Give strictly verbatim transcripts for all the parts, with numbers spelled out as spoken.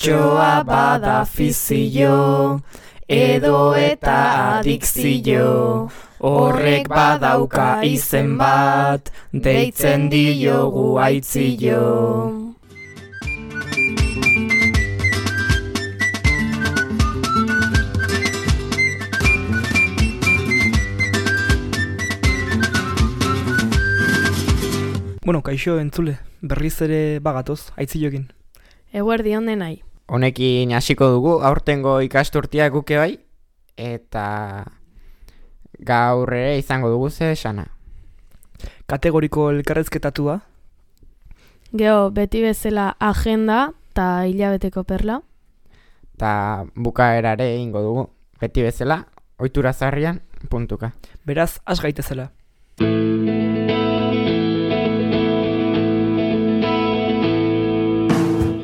Bertsoa bada fizio, edo eta adikzio, horrek badauka izen bat, deitzen diogu aitzio. Bueno, kaixo entzule, berriz ere bagatoz, aitziokin. Eguerdi on denai. Honekin hasiko dugu, aurtengo ikasturtia guke bai, eta gaur ere izango dugu ze esana. Kategoriko elkarrezketatua. Geo, beti bezala agenda eta hilabeteko perla. Eta bukaerare ingo dugu, beti bezala, ohitura zarrian, puntuka. Beraz, has gaitezela.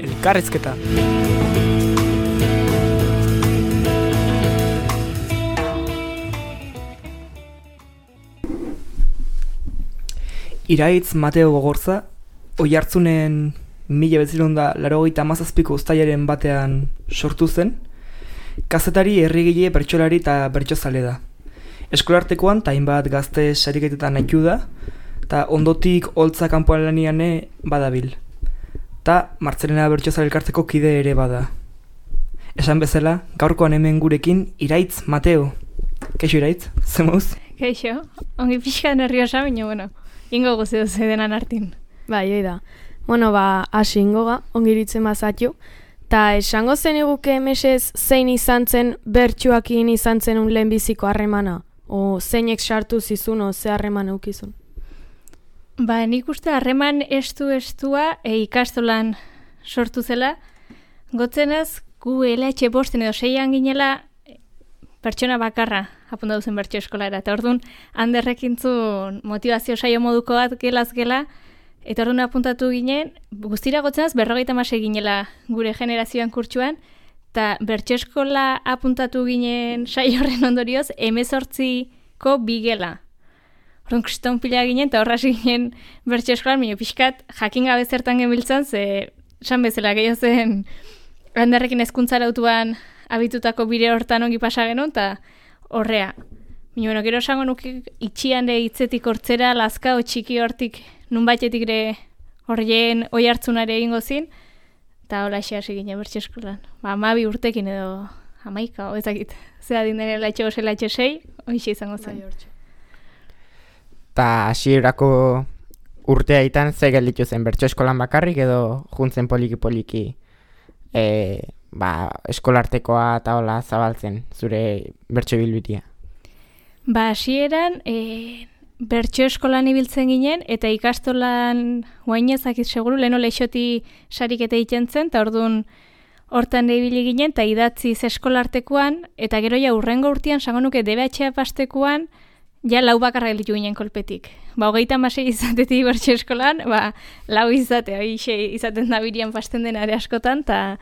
Elkarrezketa. Iraitz Mateo Gogorza, Oiartzunen mila bederatziehun eta laurogeita hamazazpiko uztailaren batean sortu zen, kazetari, herrigile, bertsolari eta bertsozale da. Eskolartekoan eta hainbat gazte sariketetan aitu da, eta ondotik holtza kanpoan lanian badabil. Eta Martzelena bertsozale elkarteko kide ere bada. Esan bezala, gaurkoan hemen gurekin Iraitz Mateo. Kaixo Iraitz, ze moduz? Kaixo, ongi pixka nerviosa, baina bueno, ingo guzti duzu denan hartin. Bai, hoi da. Bueno, ba, hasi ingoga, ongi iritzen bazatio. Ta esango zen eguke mesez zein izan zen bertsuakin izan zen un lehenbiziko harremana? O zeinek sartu zizun, o ze harreman eukizun? Ba, nik uste harreman estu-estua e ikastolan sortu zela. Gotzenaz, gu elatxe bosten edo seian ginela pertsona bakarra apunta duzen bertso eskolara. Eta orduan, handerrekintzun motivazio saio moduko bat gelaz gela, eta orduan apuntatu ginen, guztira gotzenaz berrogeita hamasei ginela gure generazioan kurtsuan, eta bertso eskola apuntatu ginen saio horren ondorioz, hemezortziko bi gela. Orduan kriston pila ginen, eta horraz ginen bertso eskolan, minio pixkat jakin gabe zertan genbiltzan, ze esan bezala gehiago zen handerrekin hezkuntzara autuan abitutako bire hortan ongi pasa genuen, eta horrea. Minio, bueno, gero esango nuke itxian de hitzetik hortzera, lazka o txiki hortik nunbaitetik ere horien oi hartzunare egingo zin, eta hola xe hasi ginen bertso eskolan. Ba, amabi urtekin edo amaika, o ezakit. Zera dindere latxe goze latxe sei, hoixe izango zen. Eta hasierako urtea itan ze gelditu zen bertso eskolan bakarrik edo juntzen poliki-poliki e, ba, eskolartekoa eta hola zabaltzen zure bertso bilbitia? Ba, hasieran e, bertso eskolan ibiltzen ginen eta ikastolan guainezakit seguru, leheno leixoti sariketa egiten zen, eta orduan hortan ibili ginen, eta idatziz eskolartekoan, eta gero ja urrengo urtean, sango nuke D B H pastekuan, ja lau bakarra gelitu ginen kolpetik. Ba, hogeita hamasei izatetik bertso eskolan, ba, lau izate, hoixe izaten da birian pasten dena ere askotan, eta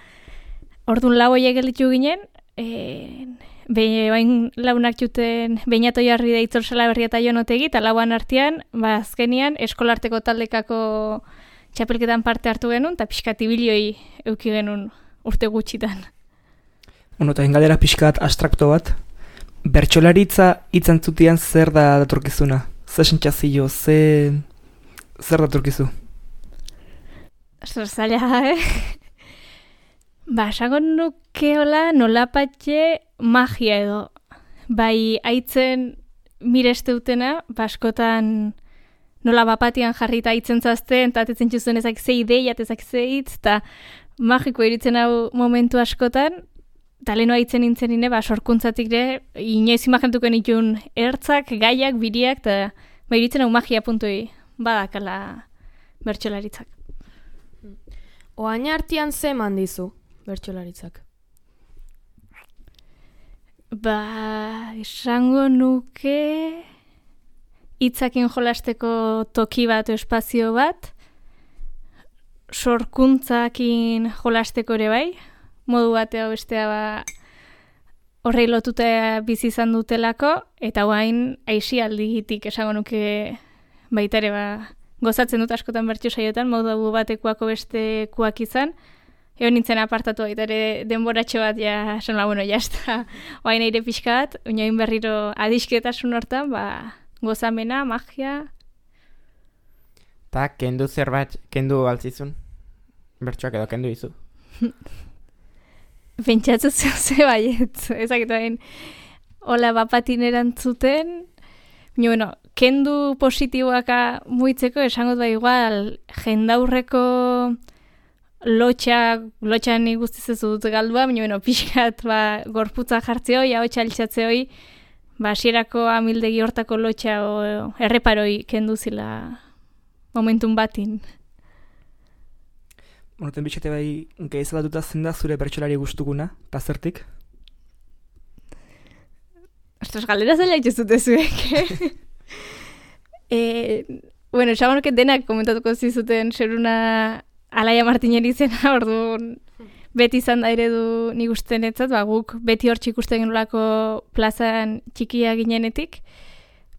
orduan lau horiek gelitu ginen, e, bain launak juten Beñato Jarri da Itzorsala Berria eta Jonotegi, eta lauan artean, ba, azkenian, eskolarteko taldekako txapelketan parte hartu genuen, eta pixkat ibilioi euki genuen urte gutxitan. Bueno, eta engaldera pixkat abstrakto bat, bertsolaritza hitzantzutian zer da datorkizuna? Ze sentsazio, ze... zer datorkizu? Zer zaila, eh? Ba, esango nuke hola nolapatxe magia edo. Bai, haitzen miresteutena, baskotan nola bapatian jarrita haitzen zazten, eta atetzen txuzuen ezak ze ideia, ezak ze hitz, eta magiko iritzen hau momentu askotan, eta leheno haitzen nintzen nire, ba, sorkuntzatik ere, inoiz imagentuko nituen ertzak, gaiak, biriak, eta ba, iritzen hau magia puntoi badakala bertsolaritzak. Oain artean ze eman dizu bertsolaritzak? Ba, esango nuke hitzakin jolasteko toki bat o espazio bat, sorkuntzakin jolasteko ere bai, modu batea bestea ba, horrei lotuta bizi izan dutelako, eta guain aisialdigitik esango nuke baita ere ba, gozatzen dut askotan bertso saiotan, modu batekoako bestekuak izan, egon nintzen apartatu baita ere denboratxo bat, ja, esan la, bueno, jazta, oain eire pixka bat, unoin berriro adisketasun hortan, ba, gozamena, magia. Ta, kendu zerbait, kendu altzizun? Bertsoak edo kendu izu? Pentsatzu ze baiet, ezakitu hain, hola bapatin erantzuten, bueno, kendu positiboaka muitzeko, esangot ba igual, jendaurreko lotxa, lotxan nik guztiz ez dut galdua, baina bueno, pixkat ba, gorputza jartzeo, ja hotxa altxatzeoi, ba, asierako amildegi hortako lotxa o erreparoi kendu zila momentun batin. Bueno, ten bitxate bai, geizalatuta zen da zure bertsolari gustukuna, eta zertik? Ostras, galdera zaila itxezute zuek. e, bueno, esan honek denak komentatuko zizuten zeruna Alaia Martineri zena, orduan beti izan da eredu nik usten etzat, ba, guk beti hor ikusten genulako plazan txikia ginenetik.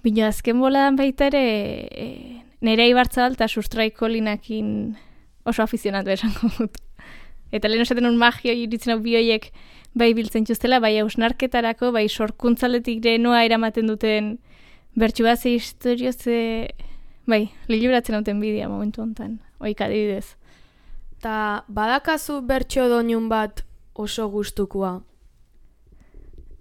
Bino azken boladan baita ere e, nire Ibarzabal eta Sustraiko linakin oso afizionatu esango dut. Eta lehen esaten un magio iritzen hau bioiek bai biltzen txustela, bai hausnarketarako, bai sorkuntzaletik noa eramaten duten bertxua ze historio ze... Bai, libratzen hauten bidea momentu honetan, oik adibidez. Ta badakazu bertso doinun bat oso gustukoa?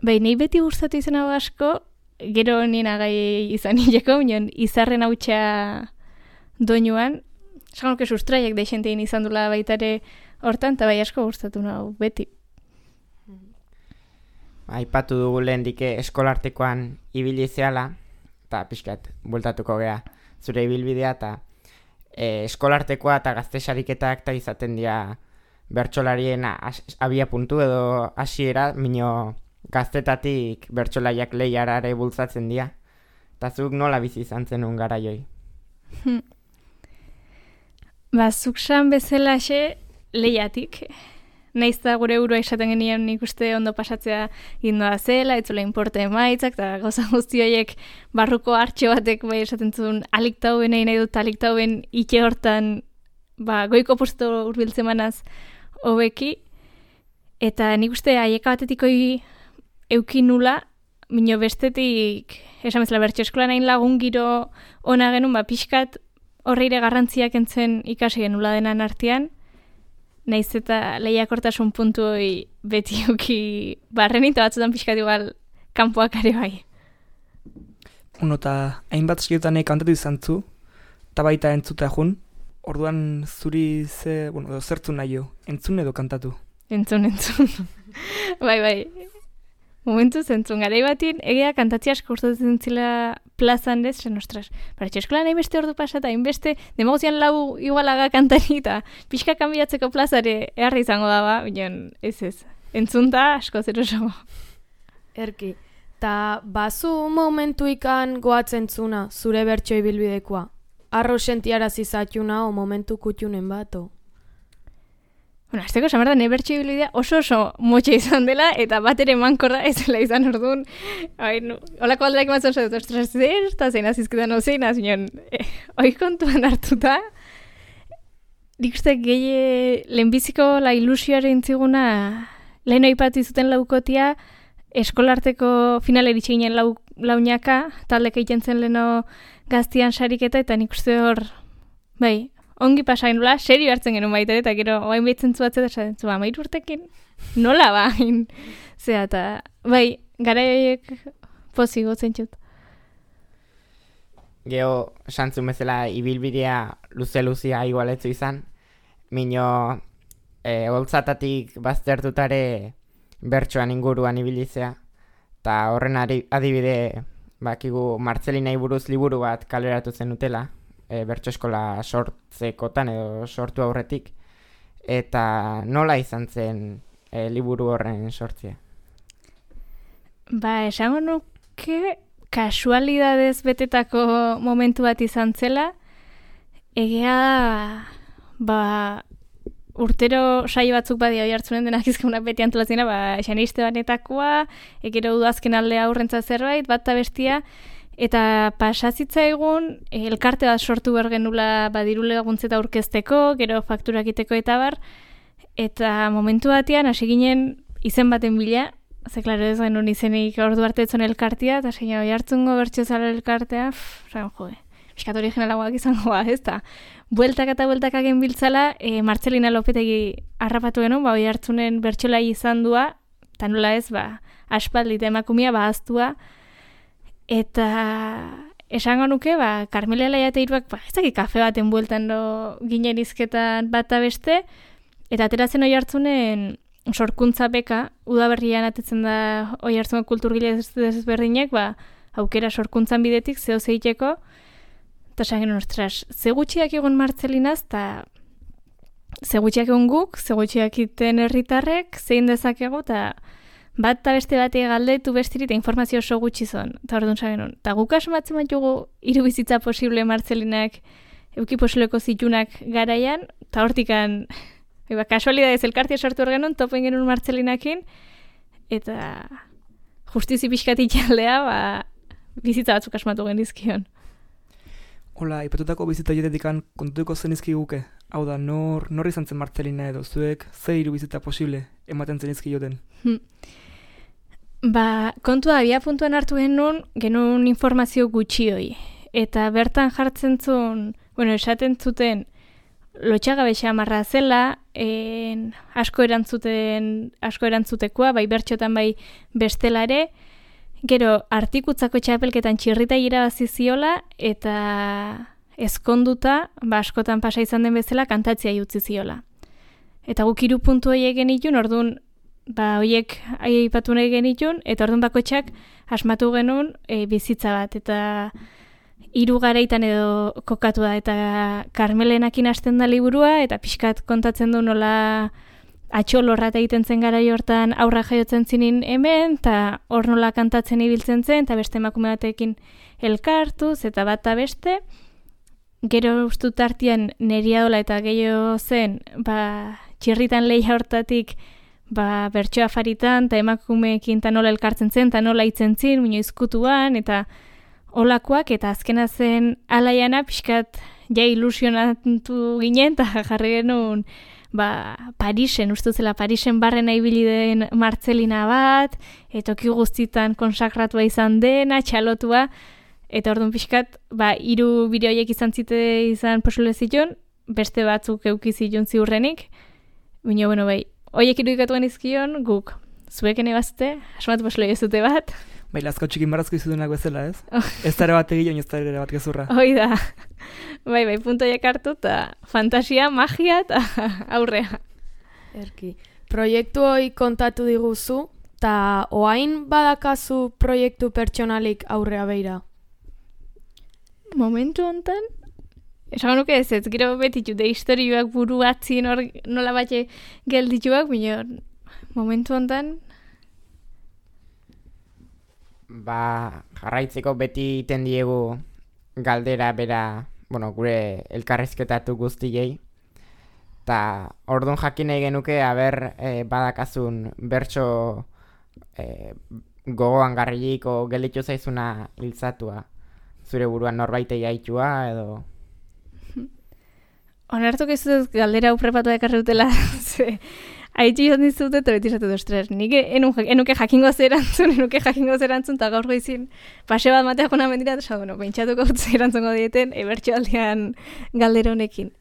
Bai, nahi beti gustatu izan hau asko, gero nien agai izan hileko, minon izarren hautsa doinuan, esan que sustraiek deixentein izan dula baitare hortan, eta bai asko gustatu nahu beti. Aipatu dugu lehen dike eskolartekoan ibili zehala, eta pixkat, bueltatuko gea zure ibilbidea, eta e, eskolartekoa eta gaztesariketak eta izaten dira bertsolarien abia puntu edo hasiera, mino gaztetatik bertsolaiak lehiarare bultzatzen dira. Eta zuk nola bizi izan zenun garaioi? Hmm. Ba, zuk san bezalaxe lehiatik. Naiz da gure burua esaten genien nik uste ondo pasatzea gindoa zela, etzula importe emaitzak, eta gauza guzti horiek barruko hartxo batek bai esaten zuen alik tauen egin nahi dut, alik tauen ike hortan ba, goiko posto urbiltzen manaz hobeki. Eta nik uste aieka batetiko eukin nula, mino bestetik, esan bezala bertso eskolan hain lagun giro ona genuen, ba, pixkat horreire garrantziak entzen ikasi genula denan artean, naiz eta lehiakortasun puntu hori beti uki barren eta batzutan pixkat igual kanpoak are bai. Uno, eta hainbat segiotan kantatu izan zu, eta baita entzuta egun, orduan zuri ze, bueno, edo zertu nahi entzun edo kantatu? Entzun, entzun. bai, bai. Momentu zentzun, garai batin, egia kantatzi asko gustatzen zila plazan dez, zen ostras, baratxe eskolan hain beste ordu pasata, hain beste demozian lau igualaga kantari eta pixka kanbiatzeko plazare eharri izango daba, bineon ez ez, entzunta asko zer oso. Erki, ta bazu momentu ikan goatzen zuna, zure bertso ibilbidekoa? Arro sentiaraz izatuna o momentu kutxunen bato? Bueno, azteko esan berda, ne bertso ibilbidea oso oso motxe izan dela, eta bat ere mankorra ez dela izan orduan. No, holako aldeak matzen oso dut, ostras, zer, eta zein azizketan ozein, azinen, eh, oi kontuan hartuta. Nik uste gehi lehenbiziko la ilusioaren ziguna, lehen oipatu izuten laukotia, eskolarteko finaleri txeginen lau, launaka, taldeka egiten zen leheno gaztian sariketa, eta nik uste hor, bai, ongi pasain nula, serio hartzen genuen baita, eta gero, oain behitzen zuatzea, eta esaten zu, amairu urtekin, nola bain, zera, eta, bai, garaiek pozik gotzen txut. Geho, santzun bezala, ibilbidea luze-luzia igualetzu izan, mino, e, holtzatatik baztertutare bertsoan inguruan ibilizea, eta horren adibide, bakigu Martzelinai buruz liburu bat kaleratu zen utela, E, bertso eskola sortzekotan edo sortu aurretik, eta nola izan zen e, liburu horren sortzea? Ba, esango nuke kasualidadez betetako momentu bat izan zela, egia ba, urtero saio batzuk badia hoi hartzunen denak izkaunak beti antolatzena, ba, esan izte banetakoa, egero udazken aldea aurrentza zerbait, bat eta bestia, eta pasazitza egun, elkarte bat sortu behar genula badiru laguntzeta aurkezteko, gero fakturak iteko eta bar, eta momentu batean hasi ginen izen baten bila, ze klaro ez genuen izenik ordu arte etzon elkartia, eta zein hori hartzungo bertxozala elkartea, zain joe, piskat originalagoak izango ba, ez da. Bueltak eta bueltak agen biltzala, e, Martzelina Lopetegi harrapatu genuen, ba, hori hartzunen bertxolai izan dua, eta nola ez, ba, aspaldi eta emakumia bahaztua, eta esango nuke, ba, Carmela Laia eta Iruak, ba, ez dakit kafe baten bueltan do ginen izketan bat beste, eta ateratzen hori hartzunen sorkuntza beka, udaberrian atetzen da hori hartzunen kulturgile desberdinek, ba, aukera sorkuntzan bidetik, zeo zeiteko, eta esan genuen, ostras, ze gutxiak egon Martzelinaz, eta ze gutxiak egon guk, ze gutxiak iten herritarrek, zein dezakego, eta bat eta beste bate galdetu bestiri, eta informazio oso gutxi zon. Eta hor duen genuen, eta guk asumatzen bat jugu hiru bizitza posible Martzelinak euki posibleko zitunak garaian, eta hortikan, eba, kasualidadez elkartia sortu hor genuen, topen genuen Martzelinakin, eta justizi pixkatik jaldea, ba, bizitza batzuk asmatu genizkion. Hola, ipatutako bizita jetetikan kontutuko zenizki guke. Hau da, nor, nor izan zen Martzelina edo, zuek ze hiru bizita posible ematen zenizki joten? Hmm. Ba, kontua abia puntuan hartu genuen, genuen informazio gutxi hoi. Eta bertan jartzen zuen, bueno, esaten zuten, lotxagabe xamarra zela, en, asko erantzuten, asko erantzutekoa, bai bertxotan bai bestelare, gero, artikutzako txapelketan txirrita irabazi ziola, eta ezkonduta, ba, askotan pasa izan den bezala, kantatzia utzi ziola. Eta guk hiru puntu horiek genitun, orduan, ba, horiek aipatu nahi genitun, eta orduan bakotxak asmatu genuen e, bizitza bat, eta hiru garaitan edo kokatu da, eta Karmelenakin hasten da liburua, eta pixkat kontatzen du nola atxolorrat egiten zen gara hortan aurra jaiotzen zinin hemen, eta hor nola kantatzen ibiltzen zen, eta beste emakume batekin elkartuz, eta bat eta beste. Gero ustut artean neriadola eta gehiago zen, ba, txirritan lehia hortatik, ba, bertsoa faritan, eta emakumeekin eta nola elkartzen zen, eta nola itzen zin, minio izkutuan, eta olakoak, eta azkena zen alaiana, pixkat ja ilusionatu ginen, eta jarri genuen, ba, Parisen, uste zela Parisen barrena ibili den Martzelina bat, etoki guztitan konsakratua izan dena, txalotua, eta orduan pixkat, ba, hiru bideoiek izan zite izan posible zituen, beste batzuk euki zituen ziurrenik, baina, bueno, bai, hoiek irudikatu genizkion, guk, zueken ebazte, asmatu posible jozute bat. Bai, lazkau txikin barrazko izutunak bezala, ez? Oh. Ez dara bat egin, ez dara bat gezurra. Hoi da. Bai, bai, puntoiak hartu, eta fantasia, magia, eta aurrea. Erki. Proiektu hoi kontatu diguzu, eta oain badakazu proiektu pertsonalik aurrea beira? Momentu hontan, esan nuke ez ez, gero betitute historioak buru atzin hor nola batxe geldituak, baina momentu hontan, ba, jarraitzeko beti iten diegu galdera bera, bueno, gure elkarrizketatu guztiei. Ta orduan jakin nahi genuke, aber e, badakazun bertso e, gogoan garriliko gelditu zaizuna hiltzatua. Zure buruan norbaitei aitua edo... Onartuko izutez galdera uprepatu ekarri dutela, ze... Haitxi joan dizute, eta beti esatu duztraz. Nik enuke jakingo zerantzun, enuke jakingo zerantzun, eta gaur goizin pase bat matea jona mendira, eta bueno, pentsatuko dut zerantzungo dieten, ebertxo aldean galdera honekin.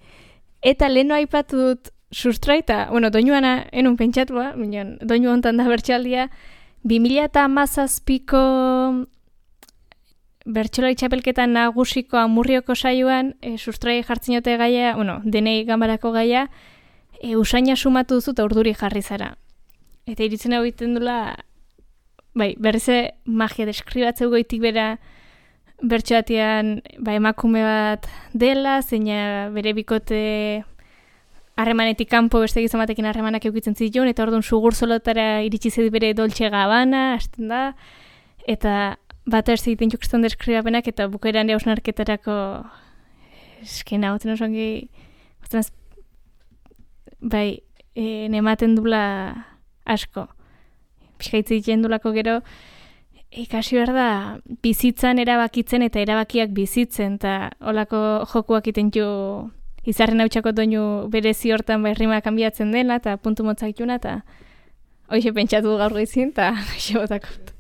Eta leheno aipatu dut sustraita, bueno, doinuana enun pentsatua, minon, doinu hontan da bertxaldia, bi mila eta hamazazpiko bertxolari txapelketan nagusiko amurrioko saioan, e, sustrai jartzen jote gaia, bueno, denei ganbarako gaia, E, usaina sumatu duzu eta urduri jarri zara. Eta iritzen hau egiten dula, bai, berrize magia deskribatzeu goitik bera bertxoatian ba, emakume bat dela, zeina bere bikote harremanetik kanpo beste gizon batekin harremanak eukitzen zituen, eta orduan sugur zolotara iritsi zait bere Dolce Gabbana, hasten da, eta bat erzi egiten jukston deskribapenak, eta bukaeran hausnarketarako eskena, oten oso ongi, oten bai, e, nematen dula asko. Piskaitzi egiten dulako gero, ikasi behar da, bizitzan erabakitzen eta erabakiak bizitzen, eta olako jokuak iten jo izarren hautxako doinu berezi hortan bai rima kanbiatzen dela, eta puntu motzak juna, eta hoxe pentsatu gaur goizin, eta hoxe botakot.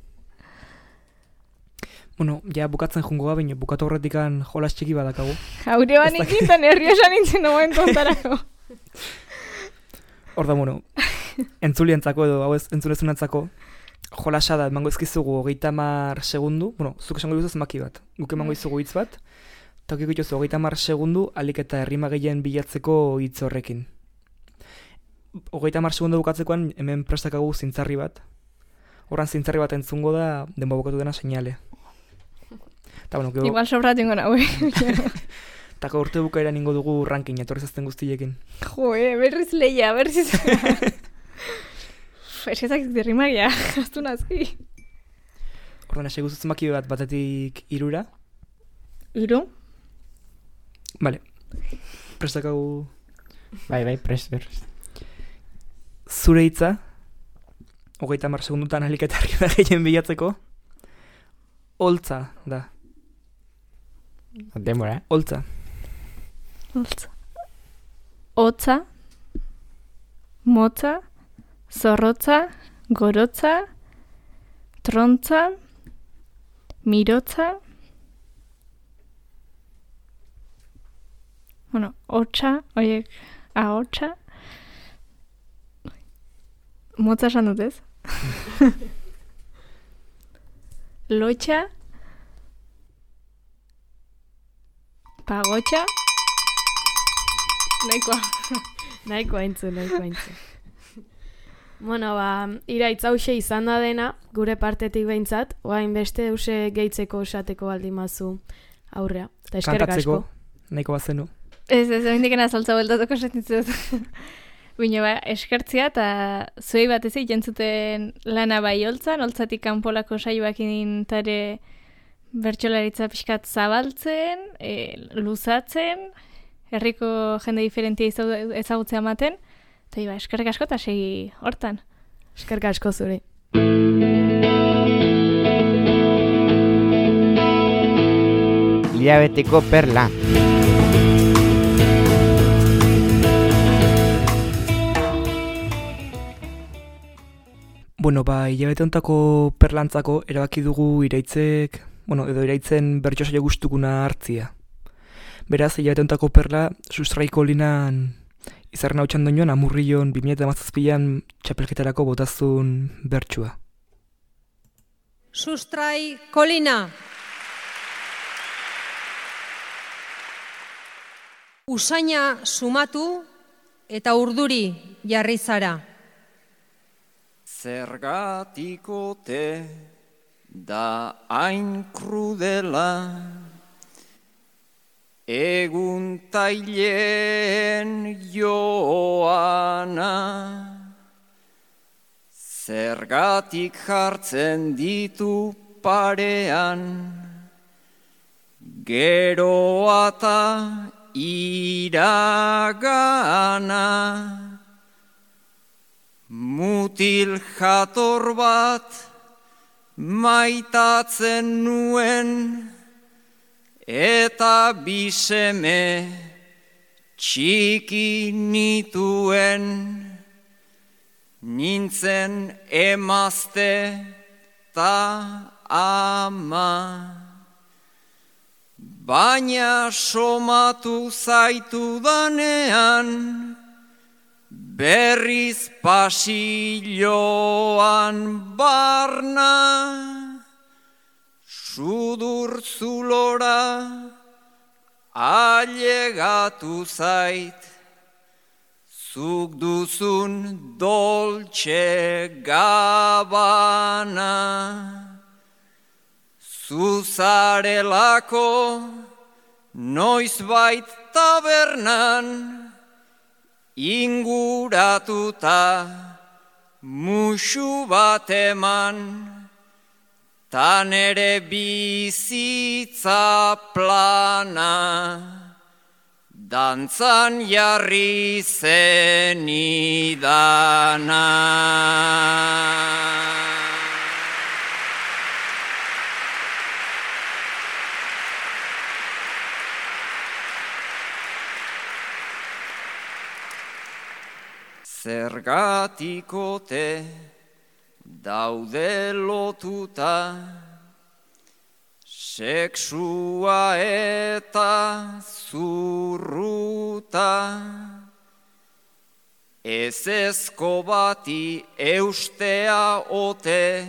Bueno, ja bukatzen jungoa, baina bukatu horretikan jolas txiki badakagu. Haure banik eta nerviosa nintzen momentu ontarako. Hor da, bueno, entzulientzako edo, hau ez, entzulezunantzako, jolasa da, emango ezkizugu hogeita hamar segundu, bueno, zuk esango duzuz maki bat, guk emango izugu hitz bat, eta okiko ituzu hogeita hamar segundu, alik eta errima gehien bilatzeko hitz horrekin. Hogeita hamar segundu bukatzekoan, hemen prestakagu zintzarri bat, horran zintzarri bat entzungo da, denbo bukatu dena seinale. Ta, bueno, gero... Igual sobratu ingo nahu, Eta urte bukaera ningo dugu ranking, etorri zazten guztiekin. Joe, berriz leia, berriz... Esetak derrimagia, jaztu nazki. Horren, hasi guztutzen maki bat batetik irura. Iru? Bale. Prestakagu... Bai, bai, prest, prest. Zure hitza, hogeita hamar segundutan alik eta herri da gehien bilatzeko, holtza da. Demora. Holtza. Holtza. Hotza, motza, zorrotza, gorotza, trontza, mirotza, bueno, hotza, oiek, ahotza, motza esan dut ez? Lotxa, pagotxa, nahikoa. Nahiko haintzu, nahiko haintzu. Bueno, ba, iraitz hause izan da dena, gure partetik behintzat, oain beste euse gehitzeko esateko aldimazu aurrea. Eta eskerrik asko. Kantatzeko, nahiko bazenu. Ez, ez, oindikena saltza bueltatuko esatitzut. Bino, ba, eskertzia eta zuei bat ezik jentzuten lana bai holtzan, holtzatik kanpolako saioakin tare bertsolaritza pixkat zabaltzen, e, luzatzen, herriko jende diferentia ezagutzea ematen, eta iba, eskerrik asko eta segi hortan. Eskerrik asko zure. Hilabeteko perla. Bueno, ba, hilabete hontako perlantzako erabaki dugu iraitzek, bueno, edo iraitzen bertso saio gustukuna hartzia. Beraz, hilabete hontako perla, sustraiko linan izarren hau txandoinoan, amurrion bi mila hamazazpian txapelketarako botazun bertsua. Sustrai kolina. Usaina sumatu eta urduri jarri zara. Zergatikote da hain krudela, egun tailen joana. Zergatik jartzen ditu parean, geroata iragana. Mutil jator bat maitatzen nuen, eta biseme txiki nituen. Nintzen emazte ta ama, baina somatu zaitu danean, berriz pasilloan barna, sudur zulora ailegatu zait, zuk duzun Dolce Gabbana. Zuzarelako noizbait tabernan, inguratuta musu bat eman, tan ere bizitza plana, dantzan jarri zenidana. zergatikote daude lotuta, sexua eta zurruta, ezezko bati eustea ote,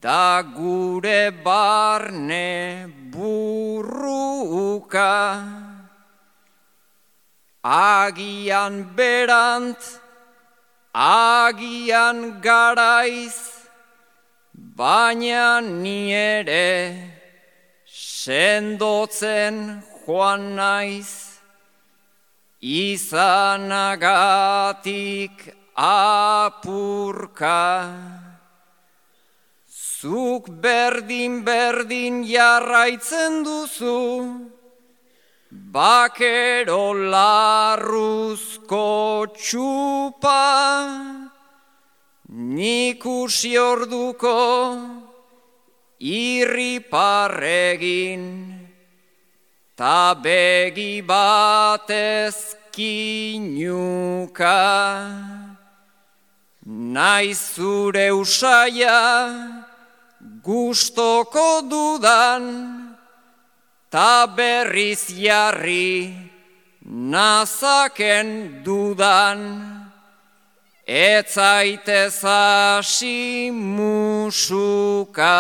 da gure barne burruka, agian berant, agian garaiz, baina ni ere sendotzen joan naiz, izanagatik apurka. Zuk berdin-berdin jarraitzen duzu, bakero larruzko txupa, nik usi orduko irriparregin, ta begi batez kinuka. Naiz zure usaia gustoko dudan, ta berriz jarri nazaken dudan, ez zaitez hasi musuka,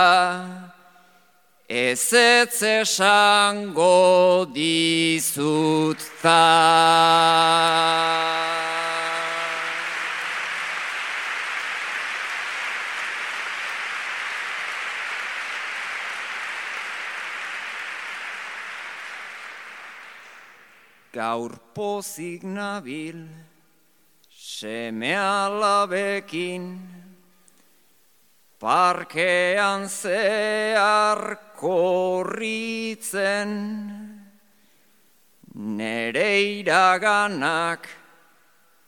ez ez esango dizut ta. Gaur pozik nabil, seme alabekin, parkean zehar korritzen, nere iraganak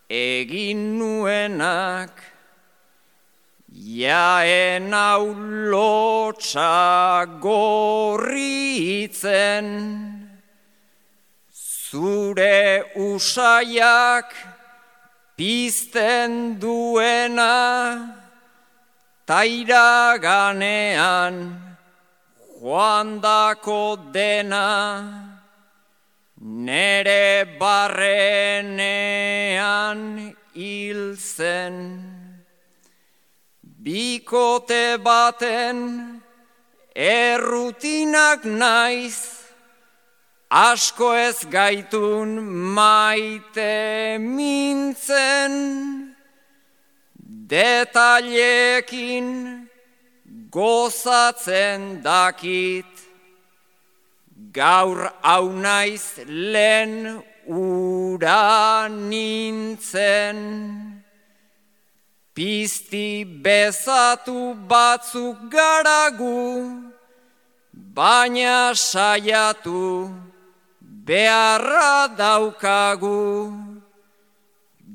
egin nuenak, jaen hau lotxa gorritzen. Zure usaiak pizten duena, ta iraganean joandako dena, nere barrenean hil zen. Bikote baten errutinak naiz, asko ez gaitun maite mintzen, detailekin gozatzen dakit, gaur hau naiz lehen ura nintzen. Pizti bezatu batzuk garagu, baina saiatu beharra daukagu,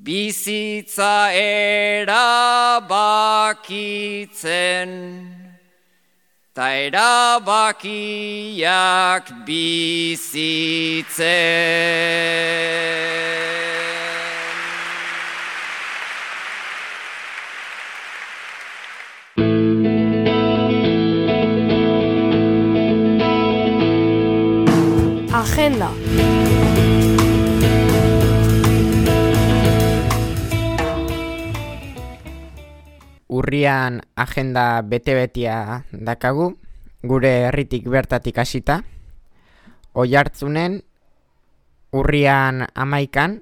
bizitza erabakitzen, ta erabakiak bizitzen. Agenda. Urrian agenda bete-betia dakagu, gure herritik bertatik hasita. Oihartzunen urrian hamaikan,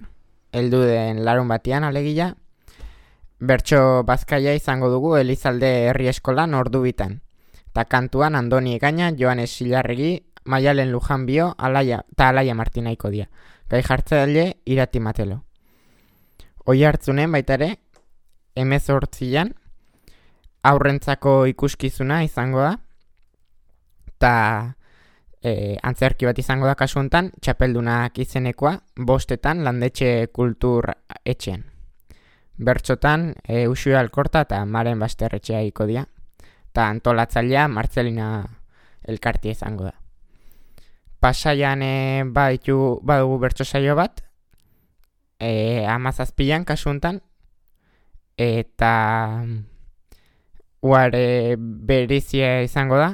heldu den larun batean alegia, bertso bazkaia izango dugu Elizalde herri eskolan ordu bitan. Ta kantuan Andoni Egaña, Joanes Silarregi, Maialen Lujanbio, Alaia, ta Alaia Martinaiko dia. Gai jartzaile Irati Matelo. Oihartzunen baita ere, hemezortzian, aurrentzako ikuskizuna izango da, eta e, antzerki bat izango da kasu honetan, txapeldunak izenekoa, bostetan landetxe kultur etxean. Bertxotan, e, Uxue Alkorta eta Maren Basterretxea iko dia, eta antolatzailea Martzelina elkartia izango da. Pasaian e, baditu, badugu bertso saio bat, e, amazazpian kasu hontan, eta uare berizia izango da,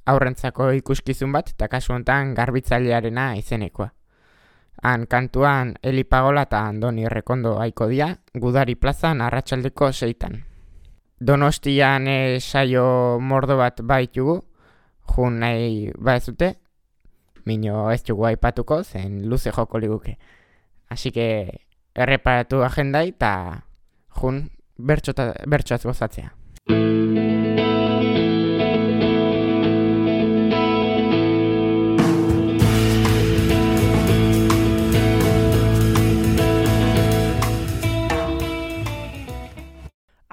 aurrentzako ikuskizun bat, eta kasu hontan garbitzailearena izenekoa. Han kantuan Eli Pagola eta Andoni Errekondo aiko dia, Gudari plazan arratsaldeko seitan. Donostian e, saio mordo bat baitugu, jun nahi baezute, mino ez dugu aipatuko, zen luze joko liguke. Así que erreparatu agendai eta jun bertsoaz gozatzea.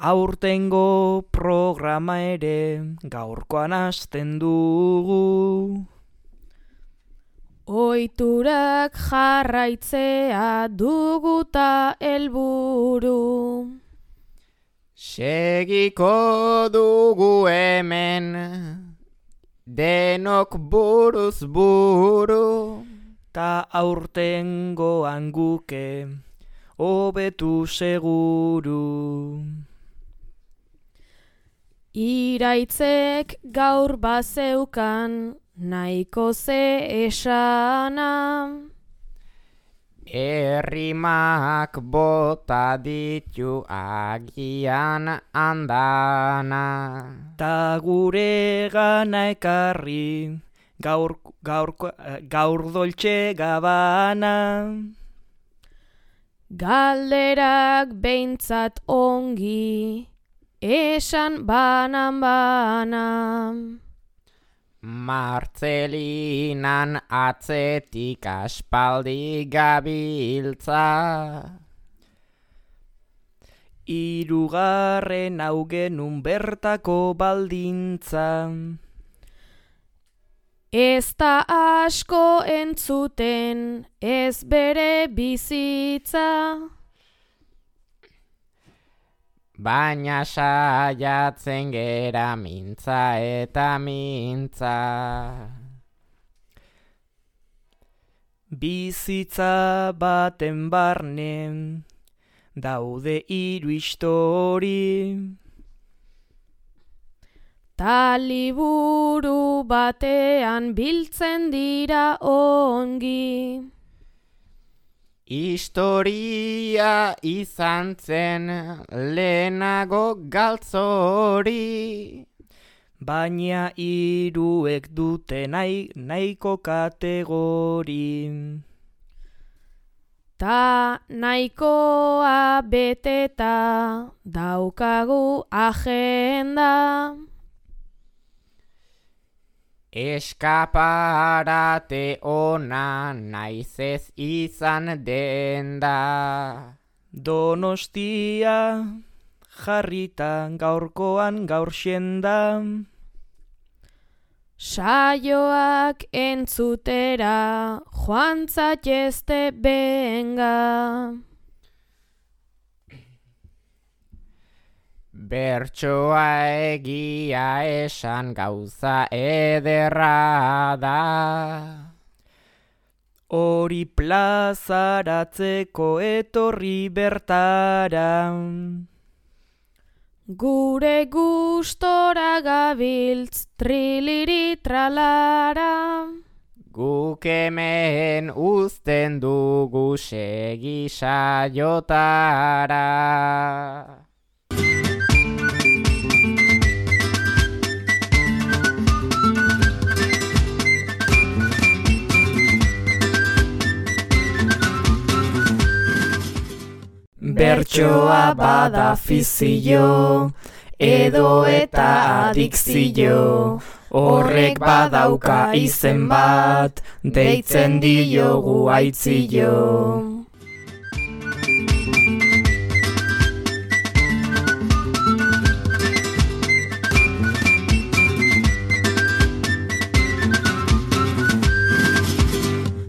Aurtengo programa ere gaurkoan hasten dugu. Oiturak jarraitzea duguta helburu. Segiko dugu hemen, denok buruz buru. Ta aurtengoan guke, hobetu seguru. Iraitzek gaur bazeukan, nahiko ze esana. Errimak bota ditu agian andana. Ta gure gana ekarri, gaur, gaur, gaur doltxe gabana. Galderak behintzat ongi, esan banan banan. Martzelinan atzetik aspaldi gabiltza. Hirugarren hau genun bertako baldintza. Ez da asko entzuten, ez bere bizitza. Baina saiatzen gera mintza eta mintza. Bizitza baten barne, daude hiru histori. Ta liburu batean biltzen dira ongi. Historia izan zen lehenago galtzori. Baina hiruek dute nahi, nahiko kategori. Ta nahikoa beteta daukagu agenda. Eskaparate ona naiz ez izan den da. Donostia jarrita gaurkoan gaur xenda. Saioak entzutera joan zaitezte benga. Bertsoa egia esan gauza ederra da. Hori plazaratzeko etorri bertara. Gure gustora gabiltz triliri tralara. Guk hemen uzten dugu segi saiotara. Bertsoa bada fizio, edo eta adikzio, horrek badauka izen bat, deitzen diogu aitzio.